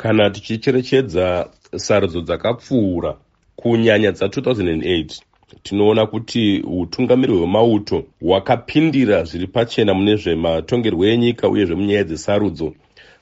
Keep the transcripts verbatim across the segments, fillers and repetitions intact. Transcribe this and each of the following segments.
Kana tichicherechedza sarudzo dzakapfuura, kunyanya dza two thousand eight, tinoona kuti utungamiri hwemauto hwakapindira zviri pachena mune zvematongerwo enyika uyezve munyaya dzesarudzo.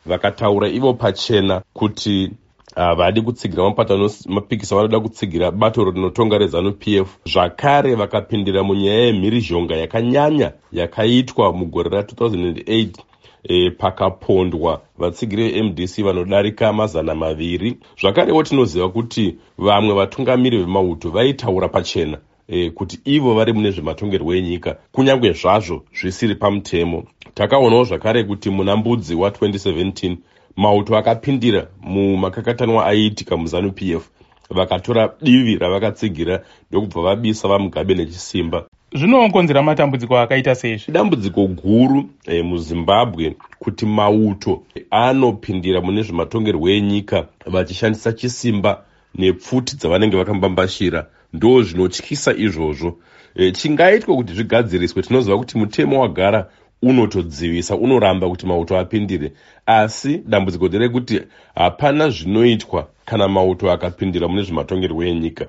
Vakataura ivo pachena kuti havadi kutsigira mapato anopikisa, vanoda kutsigira bato rinotonga reZANU P F. Zvakare vakapindira munyaya yemhirizhonga yakanyanya yakaitwa mugore ra two thousand eight, e, pakapondwa vatsigiri veM D C vanodarika mazana maviri. Zvakarewo tinoziva kuti vamwe vatungamiri vemauto vaitaura pachena e, kuti ivo vari mune zvematongerwo enyika, kunyange zvazvo zvisiri pamutemo. Takaonawo zvakare kuti muna Mbudzi wa twenty seventeen mauto akapindira mumakakatanwa aiitika muZANU P F, vakatora divi ravakatsigira, ndokubva vabisa VaMugabe nechisimba. Zvinokonzera matambudziko akaita seizvi. Dambudziko guru e, muZimbabwe kuti mauto anopindira mune zvematongerwo enyika vachishandisa chisimba nepfuti dzavanenge vakambambashira. Ndo zvinotyisa izvozvo. e, chingaitwa kuti zvigadziriswe, tinoziva kuti mutemo wagara unotodzivisa, unoramba kuti mauto apindire, asi dambudziko nderekuti hapana zvinoitwa kana mauto akapindira mune zvematongerwo enyika.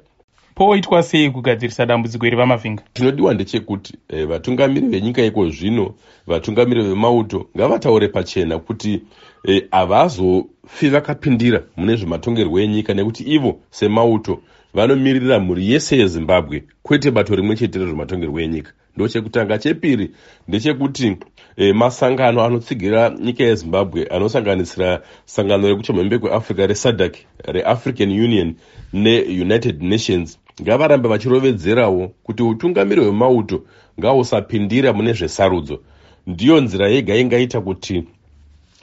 Poitwa sei kugadzirisa dambudziko iri, VaMavhinga? Chinodiwa ndechekuti eh, vatungamiri venyika iko zvino, vatungamiri vemauto, ngavataure pachena kuti eh, havazofi vakapindira mune zvematongerwo enyika, nekuti ivo semauto vanomiririra mhuri yese yeZimbabwe, kwete bato rimwe chete rezvematongerwo enyika. Ndochekutanga. Chepiri ndechekuti e, masangano anotsigira nyika yeZimbabwe, anosanganisira sangano rekuchamhembe kweAfrica reSADC, reAfrican Union neUnited Nations, ngavarambe vachirovedzerawo kuti utungamiri hwemauto ngahusapindira mune zvesarudzo. Ndiyo nzira yega ingaita kuti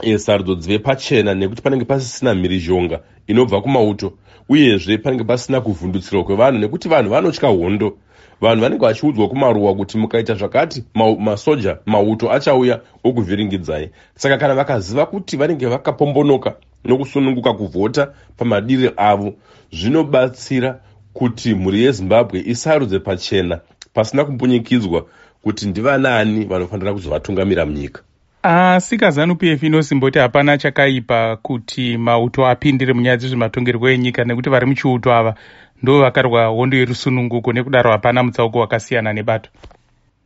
e, sarudzo dzive pachena, nekuti panenge pasisina mhirizhonga inobva kumauto, uyezve panenge pasina kuvhundutsirwa kwevanhu, nekuti vanhu vanotya hondo. Vanhu vanenge vachiudzwa kumaruwa kuti mukaita zvakati, masoja, mauto achauya okuvhiringidzai. Saka kana vakaziva kuti vanenge vakapombonoka nokusununguka kuvhota pamadiri avo, zvinobatsira kuti mhuri yeZimbabwe isarudze pachena pasina kumbunyikidzwa kuti ndivanaani vanofanira kuzovatungamira munyika. Asi kaZANU P F inosimboti hapana chakaipa kuti mauto apindire munyaya dzezvematongerwo enyika, nekuti vari muchiuto ava ndo vakarwa hondo yerusununguko, nekudaro hapana mutsauko wakasiyana nebato.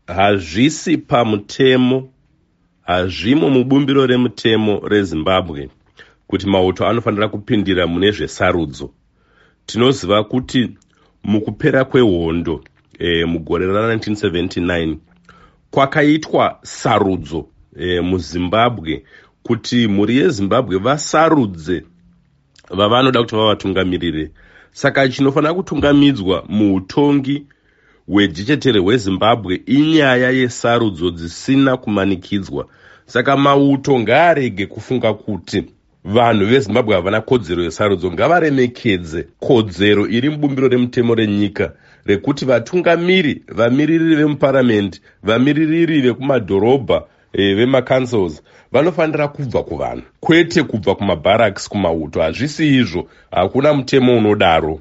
Hazvisi pamutemo, hazvimo mubumbiro remutemo reZimbabwe kuti mauto anofanira kupindira mune zvesarudzo. Tinoziva kuti mukupera kwehondo e, mugore ra nineteen seventy-nine kwakaitwa sarudzo e, muZimbabwe kuti mhuri yeZimbabwe vasarudze vavanoda kuti vavatungamirire. Saka chinofanira kutungamidzwa muutongi hwejechetere hweZimbabwe inyaya yesarudzo dzisina kumanikidzwa. Saka mauto ngaarege kufunga kuti vanhu veZimbabwe havana kodzero yesarudzo. Ngavaremekedze kodzero iri mubumbiro remutemo renyika rekuti vatungamiri, vamiririri vemuparamende, vamiririri vekumadhorobha, e, vemacouncils, vanofanira kubva kuvanhu, kwete kubva kumabarracks, kumauto. Hazvisi izvo, hakuna mutemo unodaro.